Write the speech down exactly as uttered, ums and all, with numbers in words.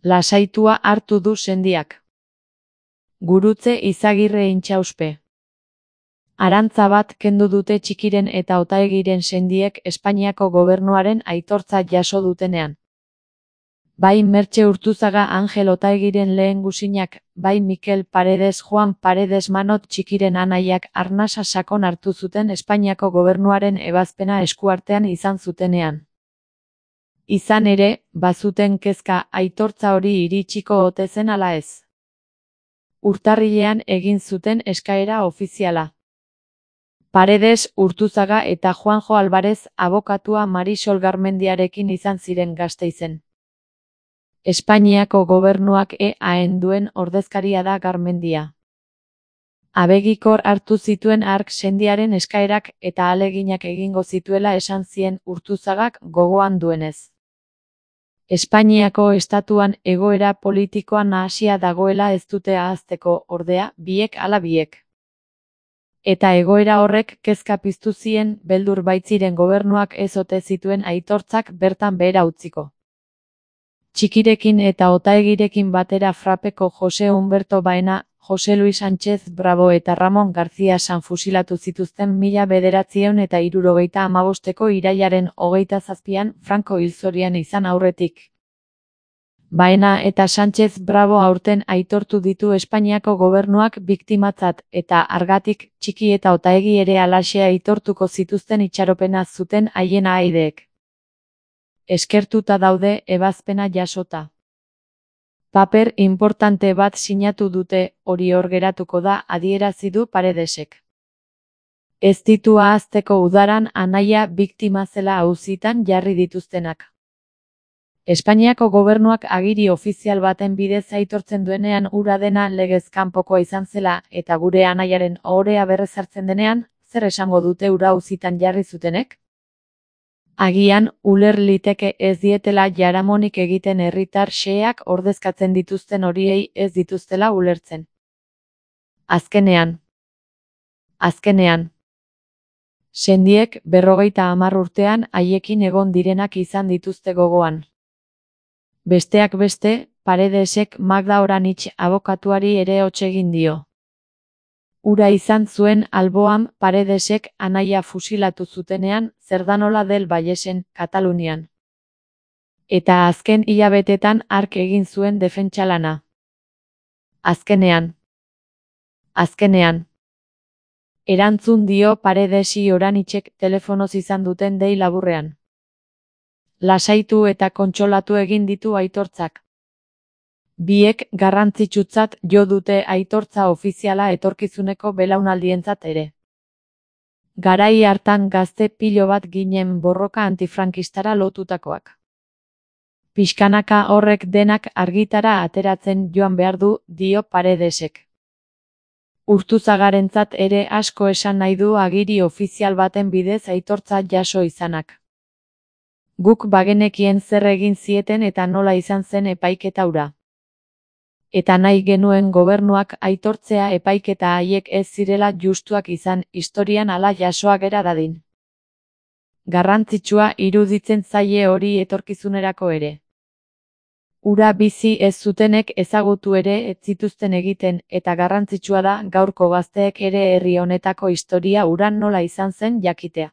Lasaitua hartu du sendiak. Gurutze Izagirre intxauspe. Arantza bat kendu dute Txikiren eta Otaegiren sendiek Espainiako gobernuaren aitortza jaso dutenean. Bai Mertxe Urtuzaga Angel Otaegiren lehen gusinak, bai Mikel Paredes Juan Paredes Manot Txikiren anaiak arnasa sakon hartu zuten Espainiako gobernuaren ebazpena eskuartean izan zutenean. Izan ere, bazuten kezka aitortza hori iritsiko ote zen ala ez. Urtarrilean egin zuten eskaera ofiziala. Paredes, Urtuzaga eta Juanjo Alvarez abokatua Marisol Garmendiarekin izan ziren Gasteizen. Espainiako gobernuak E A-en duen ordezkaria da Garmendia. Abegikor hartu zituen hark sendiaren eskaerak eta ahaleginak egingo zituela esan zien Urtuzagak gogoan duenez. Espainiako estatuan egoera politikoa nahasia dagoela ez dute ahazteko, ordea, biek ala biek. Eta egoera horrek kezka piztu zien beldur baitziren gobernuak ez ote zituen aitortzak bertan behera utziko. Txikirekin eta Otaegirekin batera Frapeko Jose Humberto Baena, Jose Luis Sánchez Bravo eta Ramon García San fusilatu zituzten mila bederatziehun eta hirurogeita hamabosteko irailaren hogeita zazpian Franco hil zorian izan aurretik. Baena eta Sánchez Bravo aurten aitortu ditu Espainiako gobernuak biktimatzat eta hargatik Txiki eta Otaegi ere halaxe aitortuko zituzten itxaropena zuten haien ahaideek. Eskertuta daude ebazpena jasota. Paper importante bat sinatu dute, hori hor geratuko da adierazi du Paredesek. Ez ditu ahazteko udaran anaia biktima zela auzitan jarri dituztenak. Espainiako gobernuak agiri ofizial baten bidez aitortzen duenean hura dena legez kanpokoa izan zela eta gure anaiaren ohorea berrezartzen denean, zer esango dute hura auzitan jarri zutenek? Agian, uler liteke ez dietela jaramonik egiten herritar xeheak ordezkatzen dituzten horiei ez dituztela ulertzen. Azkenean. Azkenean. Sendiek berrogeita hamar urtean haiekin egon direnak izan dituzte gogoan. Besteak beste, Paredesek Magda Oranitz abokatuari ere hots egin dio. Ura izan zuen alboan Paredesek anaia fusilatu zutenean Zerdanola del Vallesen, Katalunian. Eta azken hilabetetan hark egin zuen defentsa lana. Azkenean. Azkenean. Erantzun dio Paredesi Oranitzek telefonoz izan duten dei laburrean. Lasaitu eta kontsolatu egin ditu aitortzak. Biek garrantzitsutzat jo dute aitortza ofiziala etorkizuneko belaunaldientzat ere. Garai hartan gazte pilo bat ginen borroka antifrankistara lotutakoak. Pixkanaka horrek denak argitara ateratzen joan behar du, dio Paredesek. Urtuzagarentzat ere asko esan nahi du agiri ofizial baten bidez aitortza jaso izanak. Guk bagenekien zer egin zieten eta nola izan zen epaiketa hura. Eta nahi genuen gobernuak aitortzea epaiketa haiek ez zirela justuak izan historian hala jasoa gera dadin. Garrantzitsua iruditzen zaie hori etorkizunerako ere. Hura bizi ez zutenek ezagutu ere ez zituzten egiten eta garrantzitsua da gaurko gazteek ere herri honetako historia hura nola izan zen jakitea.